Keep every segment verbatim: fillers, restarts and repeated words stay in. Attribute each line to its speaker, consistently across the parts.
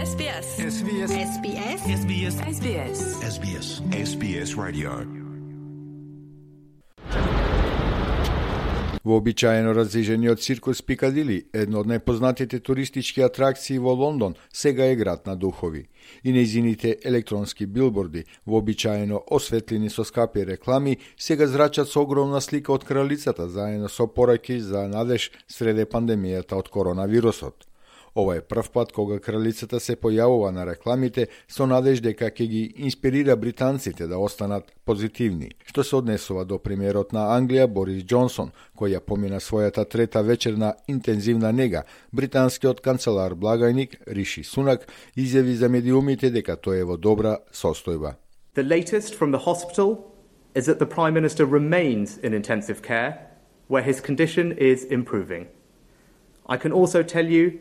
Speaker 1: S B S.
Speaker 2: S B S.
Speaker 1: S B S.
Speaker 2: S B S.
Speaker 1: S B S.
Speaker 2: S B S. S B S Radio.
Speaker 3: Вообичаено разижениот циркус Пикадили, едно од најпознатите туристички атракции во Лондон, сега е град на духови. И нејзините електронски билборди, вообичаено осветлени со скапи реклами, сега зрачат со огромна слика од кралицата, заедно со пораки за надеж среде пандемијата од коронавирусот. Ова е прв пат кога кралицата се појавува на рекламите со надеж дека ќе ги инспирира британците да останат позитивни, што се однесува до премиерот на Англија Борис Џонсон, кој ја помина својата трета вечерна интензивна нега. Британскиот канцелар благајник Риши Сунак изјави за медиумите дека тој е во добра состојба.
Speaker 4: The latest from the hospital is that the Prime Minister remains in intensive care, where his condition is improving. I can also tell you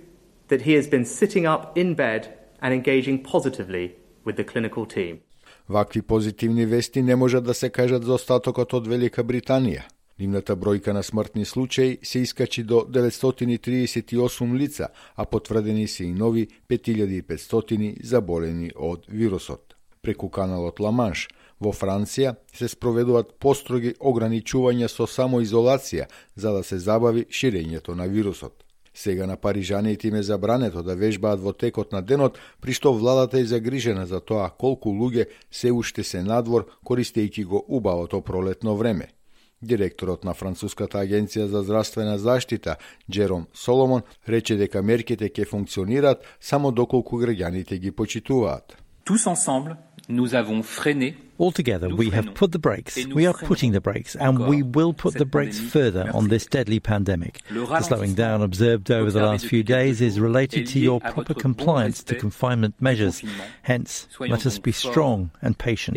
Speaker 4: that he has been sitting up in bed and engaging positively with the clinical team.
Speaker 3: Вакви позитивни вести не можат да се кажат за остатокот од Велика Британија. Нивната бројка на смртни случаи се искачи до деветстотини и триесет и осум лица, а потврдени се и нови пет илјади и петстотини заболени од вирусот. Преку каналот Ла Манш, во Франција се спроведуваат построги ограничувања со самоизолација за да се забави ширењето на вирусот. Сега на парижаните им е забрането да вежбаат во текот на денот, при што владата е загрижена за тоа колку луѓе се уште се надвор, користејќи го убавото пролетно време. Директорот на Француската агенција за здравствена заштита, Джером Соломон, рече дека мерките ќе функционираат само доколку граѓаните ги почитуваат.
Speaker 5: Tous ensemble, nous avons freiné.
Speaker 6: Altogether, we have put the brakes, we are putting the brakes, and we will put the brakes further on this deadly pandemic. The slowing down observed over the last few days is related to your proper compliance to confinement measures. Hence, let us be strong and patient.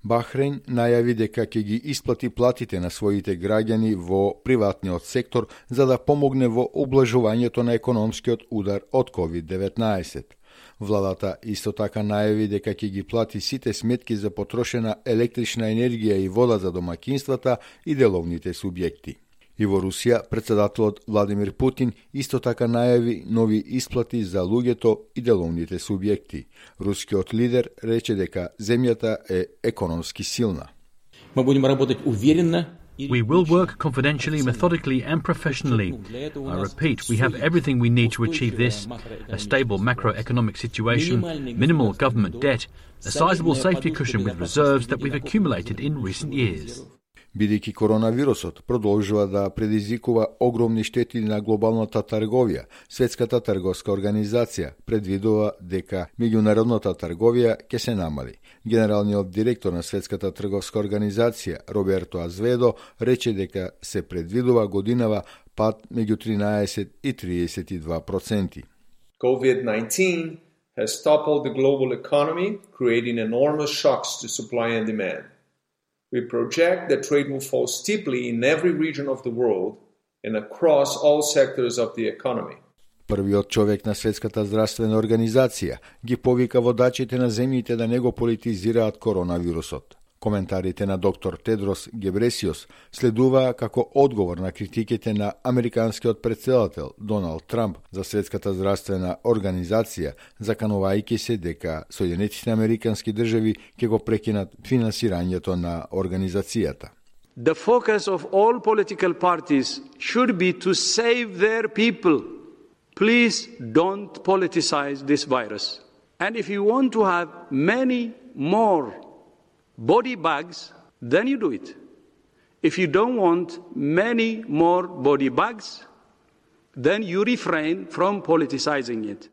Speaker 3: Бахрейн најави дека ќе ги исплати платите на своите граѓани во приватниот сектор за да помогне во облажувањето на економскиот удар од ковид деветнаесет. Владата исто така најави дека ќе ги плати сите сметки за потрошена електрична енергија и вода за домакинствата и деловните субјекти. И во Русија, председателот Владимир Путин исто така најави нови исплати за луѓето и деловните субјекти. Рускиот лидер рече дека земјата е економски силна.
Speaker 7: Мы будем работать уверенно.
Speaker 8: We will work confidentially, methodically and professionally. I repeat, we have everything we need to achieve this: a stable macroeconomic situation, minimal government debt, a sizable safety cushion with reserves that we've accumulated in recent years.
Speaker 3: Бидејќи коронавирусот продолжува да предизвикува огромни штети на глобалната трговија, Светската трговска организација предвидува дека меѓународната трговија ќе се намали. Генералниот директор на Светската трговска организација Роберто Азведо рече дека се предвидува годинава пад меѓу тринаесет и триесет и два проценти.
Speaker 9: COVID nineteen has toppled the global economy, creating enormous shocks to supply and demand. We project that trade will fall steeply in every region of the world and across all sectors of the economy.
Speaker 3: Првиот човек на Светската здравствена организација ги повика водачите на земјите да не го политизираат коронавирусот. Коментарите на доктор Тедрос Гебресиос следуваа како одговор на критиките на американскиот претседател Доналд Трамп за Светската здравствена организација, заканувајќи се дека Соединетите американски држави ќе го прекинат финансирањето на организацијата.
Speaker 10: The focus of all political parties should be to save their people. Please don't politicize this virus. And if you want to have many more body bags, then you do it. If you don't want many more body bags, then you refrain from politicizing it.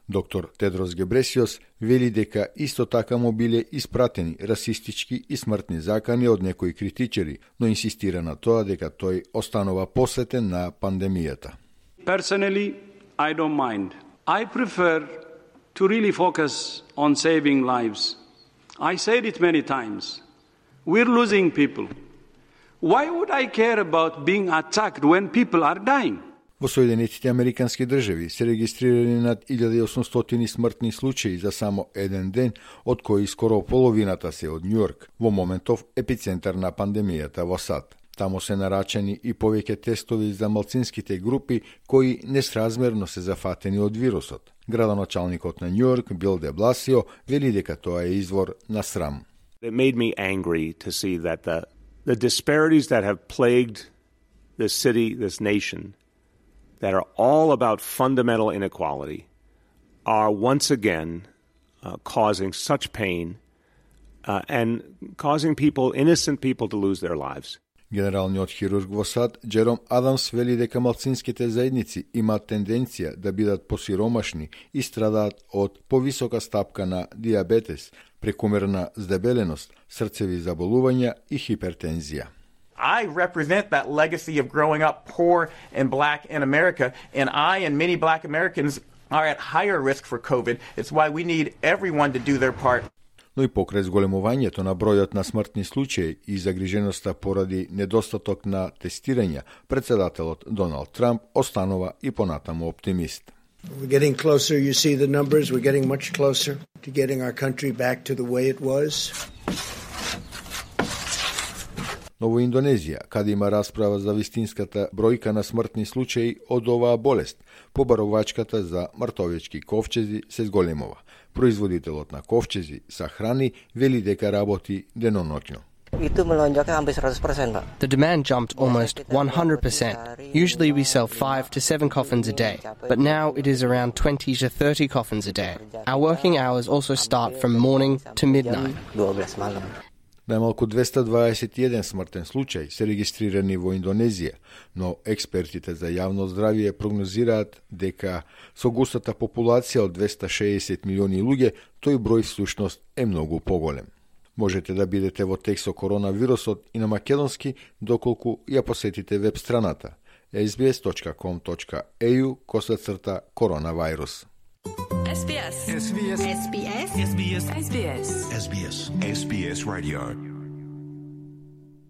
Speaker 3: Доктор Тедрос Гебресиос вели дека исто така му биле испратени расистички и смртни закани од некои критичари, но инсистира на тоа дека тој останува посветен на пандемијата.
Speaker 10: Personally, I don't mind. I prefer to really focus on saving lives. I said it many times. We're losing people. Why would I care about being attacked when people are dying?
Speaker 3: Во Соединетите американски држави се регистрирани над илјада и осумстотини смртни случаи за само еден ден, од кои скоро половината се од Њујорк, во моментов епицентар на пандемијата во САД. Тамо се нарачани и повеќе тестови за малцинските групи кои несразмерно се зафатени од вирусот. Градоначалникот на Њујорк Бил де Бласио вели дека тоа е извор на срам.
Speaker 1: It made me angry to see that the the disparities that have plagued this city, this nation, that are all about fundamental inequality, are once again uh, causing such pain uh, and causing people, innocent people, to lose their lives.
Speaker 3: Генералниот хирург во САД Джером Адамс вели дека малцинските заедници имаат тенденција да бидат посиромашни и страдаат од повисока стапка на диабетес, прекумерна здебеленост, срцеви заболувања и хипертензија.
Speaker 11: I represent that legacy of growing up poor and black in America, and I and many black Americans are at higher risk for COVID. It's why we need everyone to do their part.
Speaker 3: Но и покрај зголемувањето на бројот на смртни случаи и загриженоста поради недостаток на тестирања, председателот Доналд Трамп останува и понатаму оптимист.
Speaker 12: We're getting closer, you see the numbers, we're getting much closer to getting our country back to the way it was.
Speaker 3: Но во Индонезија, каде има расправа за вистинската бројка на смртни случаи од оваа болест, побаровачката за мртовечки ковчези се зголемува. Производителот на ковчези за храни вели дека работи деноноќно.
Speaker 13: The demand jumped almost one hundred percent. Usually we sell five to seven coffins a day, but now it is around twenty to thirty coffins a day. Our working hours also start from morning to midnight.
Speaker 3: Најмалку двеста дваесет и еден смртен случај се регистрирани во Индонезија, но експертите за јавно здравје прогнозираат дека со густата популација од двеста шеесет милиони луѓе, тој број всушност е многу поголем. Можете да бидете во тек со коронавирусот и на македонски доколку ја посетите веб страната ес би ес точка ком точка е ю косацрта коронавирус.
Speaker 2: S B S. S B S. S B S. S B S. S B S. S B S. S B S Radio.